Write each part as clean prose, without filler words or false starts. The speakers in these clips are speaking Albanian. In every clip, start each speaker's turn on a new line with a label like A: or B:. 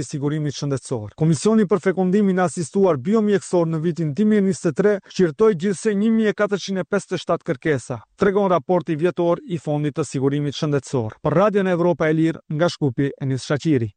A: i Sigurimit Shëndetësor. Komisioni për Fekondimin e Asistuar Biomjekësor në vitin 2023 shqyrtoi gjithsej 1457 kërkesa, tregon raporti vjetor i Fondit të Sigurimit Shëndetësor. Për Radion Evropa e Lirë, nga Shkupi, Enis Shaqiri.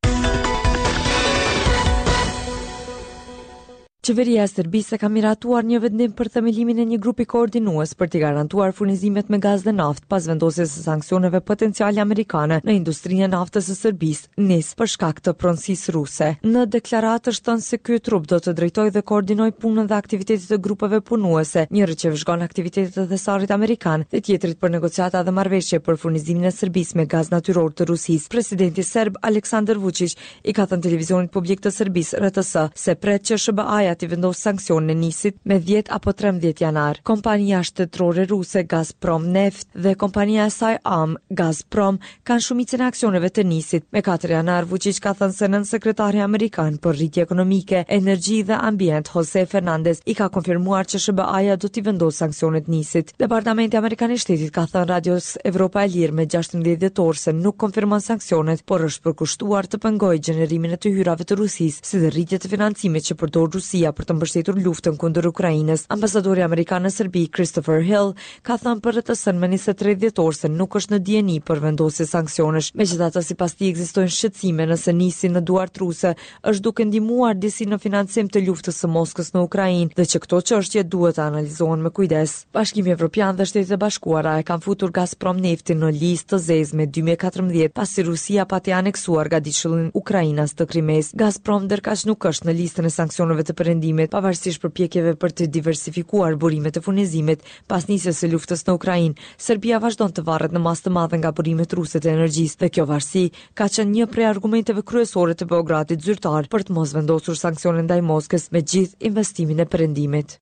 B: Qeveria e Serbisë ka miratuar një vendim për themelimin e një grupi koordinues për t'i garantuar furnizimet me gaz dhe naftë pas vendosjes së sanksioneve potenciale amerikane në industrinë e naftës së Serbisë, NIS, për shkak të pronësisë ruse. Në deklaratë është thënë se ky trup do të drejtojë dhe koordinojë punën dhe aktivitetet e grupeve punuese, njëri që vëzhgon aktivitetet e thesarit amerikan dhe tjetrit për negociata dhe marrëveshje për furnizimin e Serbisë me gaz natyror të Rusisë. Presidenti serb Aleksandar Vučić i ka thënë televizionit publik të Serbisë, RTS, se pret që SHBA-ja t'i vendosë sanksione NIS-it me 10 apo 13 janar. Kompania shtetërore ruse Gazprom Neft dhe kompania e saj amë Gazprom kanë shumicën e aksioneve të NIS-it. Me 4 janar, Vučić ka thënë se nënsekretari amerikan për rritje ekonomike, energji dhe ambient Jose Fernandez i ka konfirmuar që SHBA-ja do t'i vendosë sanksionet NIS-it. Departamenti Amerikan i Shtetit ka thënë Radios Evropa e Lirë me 16 dhjetor se nuk konfirmon sanksionet, por është përkushtuar të pengojë gjenerimin e të hyrave të Rusisë, si dhe rritje të financimit që përdor Rusia për të mbështetur luftën kundër Ukrainës. Ambasadori amerikan në Serbi, Christopher Hill, ka thënë për RTS-n më 23 dhjetor se nuk është në dijeni për vendosje sanksionesh. Megjithatë, sipas tij ekzistojnë shqetësime nëse NIS-i në duart ruse është duke ndihmuar disi në financim të luftës së Moskës në Ukrainë dhe që këto çështje duhet të analizohen me kujdes. Bashkimi Evropian dhe Shtetet e Bashkuara e kanë futur Gazprom Neftin në listë të zezë me 2014, pasi Rusia pati aneksuar gadishullin ukrainas të Krimesë. Gazprom ndërkaq nuk është në listën e sanksioneve të Perëndimit, pavarësisht përpjekjeve për të diversifikuar burimet e furnizimit pas nisjes së luftës në Ukrainë. Serbia vazhdon të varet në masë të madhe nga burimet ruse të energjisë dhe kjo varësi ka qenë një prej argumenteve kryesore të Beogradit zyrtar për të mos vendosur sanksione ndaj Moskës me gjithë investimin e Perëndimit.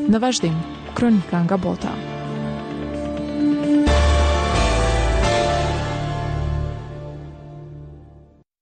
C: Në vazhdim, kronika nga bota.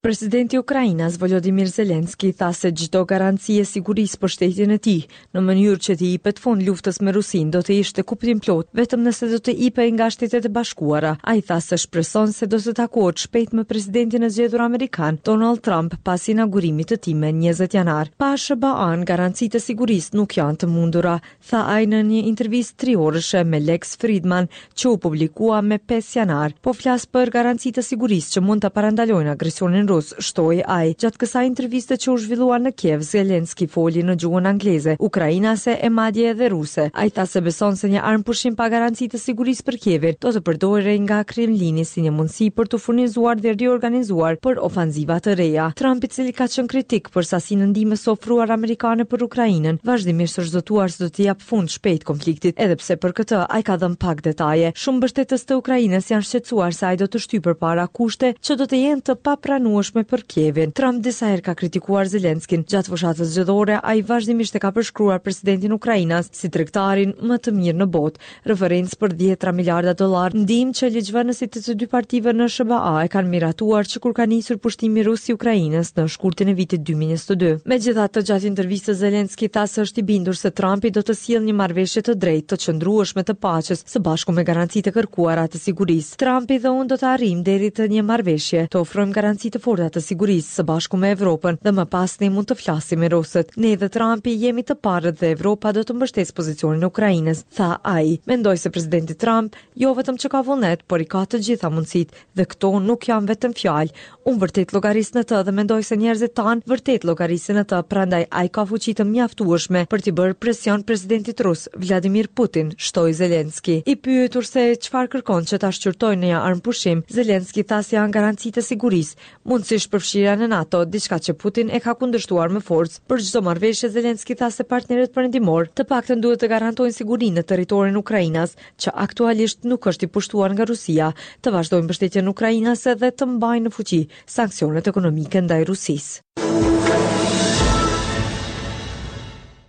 B: Presidenti ukrainas Volodymyr Zelensky tha se çdo garanci e sigurisë për shtetin e tij, në mënyrë që t'i jepet fund luftës me Rusinë, do të ishte kuptimplotë vetëm nëse do të jepej nga Shtetet e Bashkuara. Ai tha se shpreson se do të takohet shpejt me presidentin e zgjedhur amerikan, Donald Trump, pas inaugurimit të tij me 20 janar. Pa SHBA-n, garancitë e sigurisë nuk janë të mundura, tha ai në një intervistë triorëshe me Lex Fridman që u publikua me 5 janar. Po flas për garanci të sigurisë që mund të parandalojnë agresionin rus, shtoi ai. Gjatë kësaj interviste që u zhvillua në Kiev, Zelensky foli në gjuhën angleze, ukrainase e madje edhe ruse. Ai tha se beson se një armëpushim pa garanci të sigurisë për Kievin do të përdorej nga Kremlini si një mundësi për t'u furnizuar dhe riorganizuar për ofanziva të reja. Trump, i cili ka qenë kritik për sasinë e ndihmës së ofruar amerikane për Ukrainën, vazhdimisht është zotuar se do t'i japë fund shpejt konfliktit, edhe pse për këtë ai ka dhënë pak detaje. Shumë mbështetës të Ukrainës janë shqetësuar se ai do të shtyjë përpara kushte që do të jenë të papranueshme për Kievin. Trump disa herë ka kritikuar Zelenskyn. Gjatë fushatës zgjedhore, ai vazhdimisht e ka përshkruar presidentin ukrainas si tregtarin më të mirë në botë, referencë për dhjetra miliarda dollarë ndihmë që ligjvënësit e të dy partive në SHBA e kanë miratuar që kur ka nisur pushtimi rus i Ukrainës në shkurtin e vitit 2022. Megjithatë, gjatë intervistës Zelensky tha se është i bindur se Trumpi do të sjellë një marrëveshje të drejtë, të qëndrueshme të paqes së bashku me garancitë e kërkuara të sigurisë. Trumpi dhe unë do të arrijmë deri te një marrëveshje, të ofrojmë garanci të forta të sigurisë së bashku me Evropën dhe më pas ne mund të flasim me rusët. Ne dhe Trumpi jemi të parët dhe Evropa do të mbështesë pozicionin e Ukrainës, tha ai. Mendoj se presidenti Trump jo vetëm që ka vullnet, por i ka të gjitha mundësitë dhe këto nuk janë vetëm fjalë. Unë vërtet llogaris në të dhe mendoj se njerëzit tanë vërtet llogarisin në të, prandaj ai ka fuqi të mjaftueshme për t'i bërë presion presidentit rus, Vladimir Putin, shtoi Zelensky. I pyetur se çfarë kërkon që ta shqyrtojë në një armëpushim, Zelensky tha se janë garancitë e sigurisë, mundësisht përfshirja në NATO, diçka që Putin e ka kundërshtuar me forcë. Për çdo marrëveshje, Zelensky tha se partnerët perëndimorë të paktën duhet të garantojnë sigurinë në territorin ukrainas, që aktualisht nuk është i pushtuar nga Rusia, të vazhdojnë mbështetjen ukrainase dhe të mbajnë në fuqi sanksionet ekonomike ndaj Rusisë.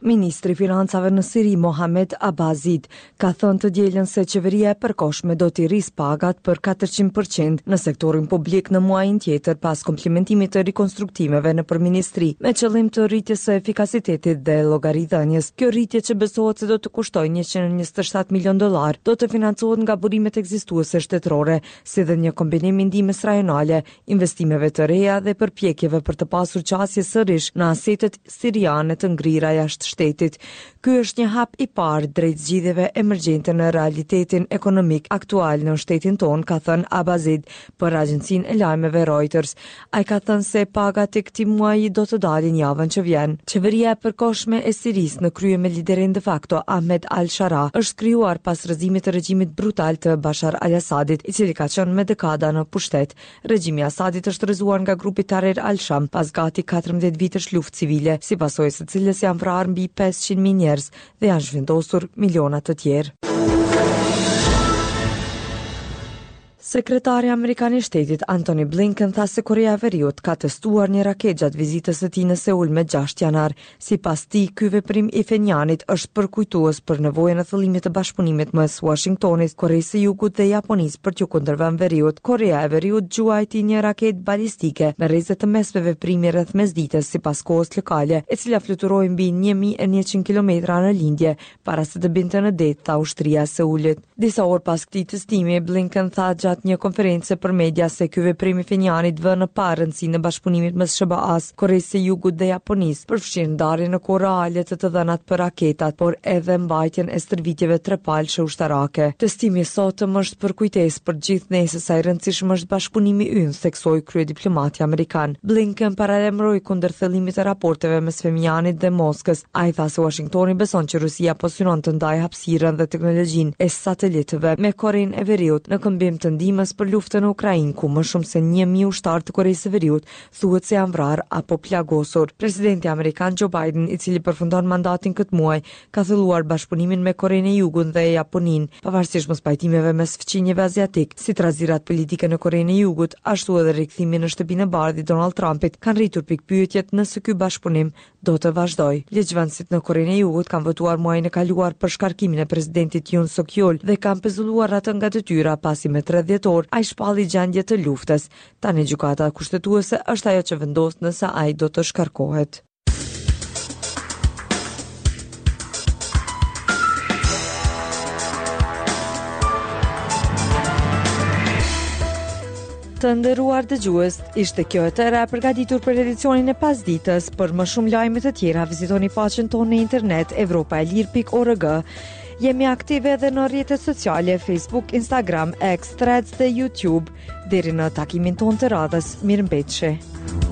B: Ministri i Financave në Siri, Mohamed Abazid, ka thënë të dielën se qeveria e përkohshme do t'i rrisë pagat për 400 për qind në sektorin publik në muajin tjetër pas kompletimit të rikonstruktimeve nëpër ministri, me qëllim të rritjes së efikasitetit dhe llogaridhënies. Kjo rritje që besohet se do të kushtojë 127 milionë dollarë, do të financohet nga burimet ekzistuese shtetërore, si dhe një kombinim i ndihmës rajonale, investimeve të reja dhe përpjekjeve për të pasur qasje sërish në asetet siriane të ngrira jashtë shtetit. Ky është një hap i parë drejt zgjidhjeve emergjente në realitetin ekonomik aktual në shtetin tonë, ka thënë Abazid për agjencinë e lajmeve Reuters. Ai ka thënë se pagat e këtij muaji do të dalin javën që vjen. Qeveria e përkohshme e Sirisë në krye me liderin de facto Ahmed al-Sharaa është krijuar pas rrëzimit të regjimit brutal të Bashar al-Assadit, i cili ka qenë me dekada në pushtet. Regjimi i Asadit është rrëzuar nga grupi Tahrir al-Sham pas gati 14 vitesh luftë civile, si pasojë e së cilës janë vrarë mbi 500.000 njerëz dhe janë zhvendosur miliona të tjerë. Sekretari amerikan i Shtetit Antony Blinken tha se Koreja e Veriut ka testuar një raketë gjatë vizitës së tij në Seul me 6 janar. Sipas tij, ky veprim i Phenianit është përkujtues për nevojën e thellimit të bashkëpunimit mes Uashingtonit, Koresë së Jugut dhe Japonisë për t'iu kundërvënë Veriut. Koreja e Veriut gjuajti një raketë balistike me rreze të mesme veprimi rreth mesditës sipas kohës lokale, e cila fluturoi mbi 1100 kilometra në lindje para se të binte në det, tha ushtria e Seulit. Disa orë pas këtij testimi, Blinken tha gjatë një konference për media se ky veprim i Phenianit vë në pah rëndësinë e bashkëpunimit mes SHBA-së, Koresë së Jugut dhe Japonisë, përfshirë ndarjen në kohë reale të të dhënat për raketat, por edhe mbajtjen e stërvitjeve trepalëshe ushtarake. Testimi i sotëm është përkujtesë për gjithë ne se sa i rëndësishëm është bashkëpunimi ynë, theksoi kryediplomati amerikan. Blinken paralajmëroi kundër thellimit të raporteve mes Phenianit dhe Moskës. Ai tha se Uashingtoni beson që Rusia po synon të ndajë hapësirën dhe teknologjinë e satelitëve me Korenë e Veriut në këmbim të ndihmës për luftën në Ukrainë, ku më shumë se 1000 ushtarë të Koresë së Veriut thuhet se janë vrarë apo plagosur. Presidenti amerikan Joe Biden, i cili përfundon mandatin këtë muaj, ka thelluar bashkëpunimin me Korenë e Jugut dhe Japoninë, pavarësisht mospajtimeve mes fqinjëve aziatikë, si trazirat politike në Korenë e Jugut, ashtu edhe rikthimi në Shtëpinë e Bardhë i Donald Trumpit kanë rritur pikëpyetjet nëse ky bashkëpunim do të vazhdojë. Ligjvënësit në Korenë e Jugut kanë votuar muajin e kaluar për shkarkimin e presidentit Yoon Suk Yeol dhe kanë pezulluar atë nga detyra pasi me 3 dhjetor ai shpalli gjendje të luftës. Tani gjykata kushtetuese është ajo që vendos nëse ai do të shkarkohet. Të nderuar dëgjues, ishte kjo e tëra e përgatitur për edicionin e pasditës. Për më shumë lajme të tjera, vizitoni faqen tonë në internet evropaelire.org. Jemi aktive edhe në rrjetet sociale Facebook, Instagram, X, Threads dhe YouTube. Deri në takimin tonë të radhës, mirëmbetshi.